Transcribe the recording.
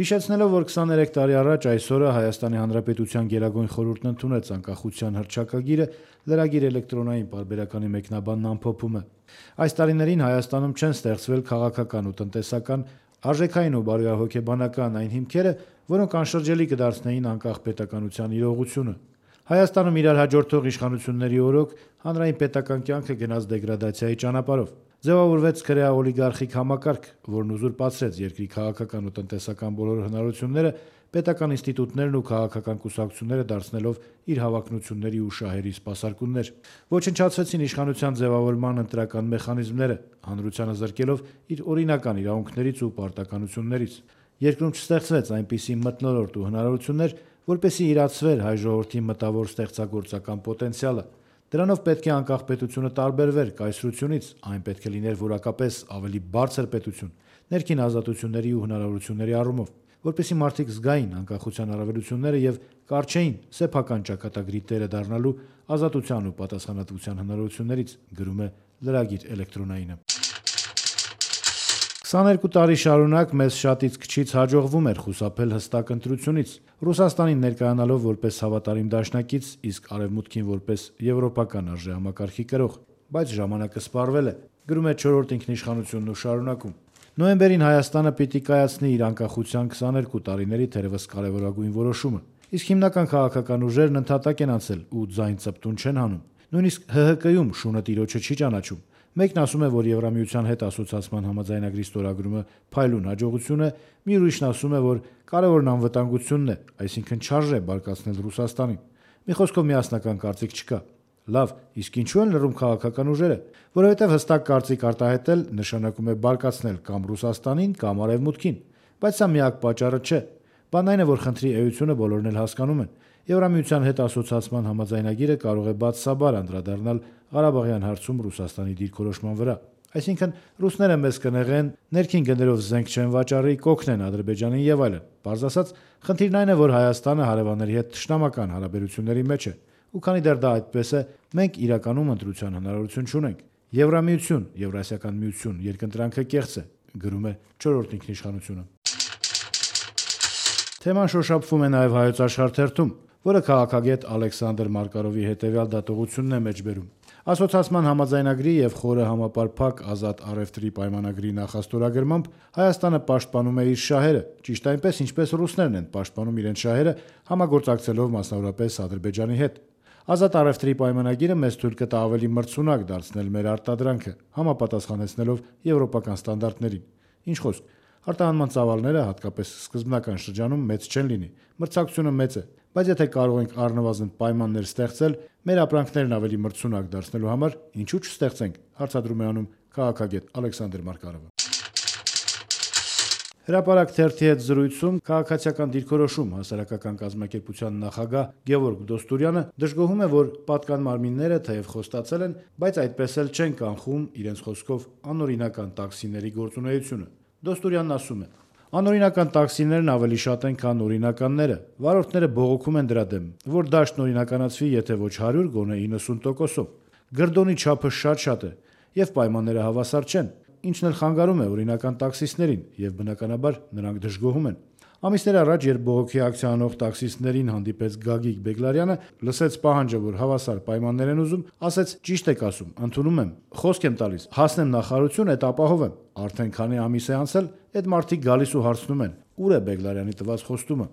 Հիշեցնելով, որ 23 տարի առաջ այսօրը Հայաստանի Հանրապետության Գերագույն խորհուրդն ընդունեց անկախության հռչակագիրը, լրագիր էլեկտրոնային պարբերականի մեկնաբանն ամփոփում է. այս տարիներին Հայաստանում չեն ստեղծվել քաղաքական ու տնտեսական, արժեքային ու բարոյահոգեբանական այն հիմքերը, որոնք անշրջելի կդարձնեին անկախ պետականության իրողությունը։ Հայաստանում իրար հաջորդող իշխանությունների օրոք հանրային պետական կյանքը գնաց դեգրադացիայի ճանապարհով։ Ձևավորվեց քրեա-օլիգարխիկ համակարգ, որն ուզուրպացրեց երկրի քաղաքական ու տնտեսական բոլոր հնարավորությունները, պետական ինստիտուտներն ու քաղաքական կուսակցությունները դարձնելով իր հավակնությունների ու շահերի սպասարկումներ։ Ոչնչացվեցին իշխանության ձևավորման ընտրական մեխանիզմները, հանրությանը զրկելով իր օրինական իրավունքներից ու պարտականություններից։ Երկրում չստեղծվեց այնպիսի մթնոլորտ ու հնարավորություններ, որպեսզի իրացվեր հայ ժողովրդի մտավոր ստեղծագործական պոտենցիալը։ Դրանով պետք է անկախ պետությունը տարբերվեր կայսրությունից, այն պետք է լիներ որակապես ավելի բարձր պետություն, ներքին ազատությունների ու հնարավորությունների առումով, որպեսզի մարդիկ զգային անկախության առավելությունները եւ կարճեին սեփական ճակատագրի տերը դառնալու ազատության ու պատասխանատվության հնարավորություններից, գրում է լրագիր էլեկտրոնայինը։ 22 տարի շարունակ մեզ շատից քչից հաջողվում էր խուսափել հստակ ընտրությունից, Ռուսաստանին ներկայանալով որպես հավատարիմ դաշնակից, իսկ Արևմուտքին որպես եվրոպական արժեհամակարգի կրող, բայց ժամանակը սպառվել է, գրում է 4-րդ ինքնիշխանությունն ու շարունակում։ Նոյեմբերին Հայաստանը պիտի կայացնի իր անկախության 22 տարիների թերևս կարևորագույն որոշումը, իսկ հիմնական քաղաքական ուժերն ընդհատակ են անցել ու ձայն ծպտուն չեն հանում։ Նույնիսկ ՀՀԿ-ում շունը տիրոջը չի ճանաչում։ Մեկն ասում է, որ Եվրամիության հետ ասոցիացման համաձայնագրի ստորագրումը փայլուն հաջողություն է, մի ուրիշն ասում է, որ կարևորն անվտանգությունն է, այսինքն չարժե բարկացնել Ռուսաստանին։ Մի խոսքով միասնական կարծիք չկա։ Լավ, իսկ ինչու են լռում քաղաքական ուժերը, որովհետև հստակ կարծիք արտահայտել նշանակում է բարկացնել կամ Ռուսաստանին, կամ Արևմուտքին, բայց սա միակ պատճառը չէ։ Բանն այն է, որ խնդրի էությունը բոլորն էլ հասկանում են։ Եվրամիության հետ ասոցիացման համաձայնագիրը կարող է բացասաբար անդրադառնալ Ղարաբաղյան հարցում Ռուսաստանի դիրքորոշման վրա։ Այսինքն ռուսները մեզ կնեղեն, ներքին գներով զենք չեն վաճառի, կօգնեն Ադրբեջանին եւ այլն։ Պարզ ասած, խնդիրն այն է, որ Հայաստանը հարևանների հետ թշնամական հարաբերությունների մեջ է, ու քանի դեռ դա այդպես է, մենք իրականում ընտրության հնարավորություն չունենք։ Եվրամիություն, Եվրասիական միություն երկընտրանքը կեղծ է, գրում է 4-րդ ինքնիշխանությունը։ Թեման շոշափվում է նաև Հայոց Աշխարհ թերթում, որը քաղաքագետ Ալեքսանդր Մարկարովի հետևյալ դատողությունն է մեջբերում։ Ասոցիացման համաձայնագրի եւ խորը համապարփակ ազատ առևտրի պայմանագրի նախաստորագրմամբ Հայաստանը պաշտպանում է իր շահերը, ճիշտ այնպես, ինչպես ռուսներն են պաշտպանում իրենց շահերը, համագործակցելով մասնավորապես Ադրբեջանի հետ։ Ազատ առևտրի պայմանագիրը մեզ թույլ կտա ավելի մրցունակ դարձնել մեր արտադրանքը, համապատասխանեցնելով եվրոպական ստանդարտներին։ Ինչ խոսք, արտահանման ծավալները, հատկապես սկզբնական շրջանում, մեծ չեն լինի, մրցակցությունը մեծ է, բայց եթե կարող ենք առնվազն պայմաններ ստեղծել, մեր ապրանքներն ավելի մրցունակ դարձնելու համար, ինչու չստեղծենք, հարցադրում է անում քաղաքագետ Ալեքսանդր Մարկարովը։ Հրապարակ թերթի հետ զրույցում քաղաքացիական դիրքորոշում հասարակական կազմակերպության նախագահ Գևորգ Դոստուրյանը դժգոհում է, որ պատկան մարմինները թեև խոստացել են, բայց այդպես էլ չեն կանխում իրենց խոսքով անօրինական տաքսիների գործունեությունը։ Դոստուրյանն ասում է. անօրինական տաքսիներն ավելի շատ են, քան օրինականները։ Վարորդները բողոքում են դրա դեմ, որ դաշտն օրինականացվի, եթե ոչ 100, գոնե 90%-ով։ Գրդոնի չափը շատ է, եւ պայմանները հավասար չեն, ինչն էլ խանգարում է օրինական տաքսիստներին, եւ բնականաբար նրանք դժգոհում են։ Ամիսներ առաջ, երբ բողոքի ակցիա անող տաքսիստներին հանդիպեց Գագիկ Բեգլարյանը, լսեց պահանջը, որ հավասար պայմաններ են ուզում, ասեց՝ ճիշտ եք ասում, ընդունում եմ, խոսք եմ տալիս, հասնեմ նախարարություն, այդ ապահովեմ։ Արդեն քանի ամիս է անցել, այդ մարդիկ գալիս ու հարցնում են՝ ուր է Բեգլարյանի տված խոստումը։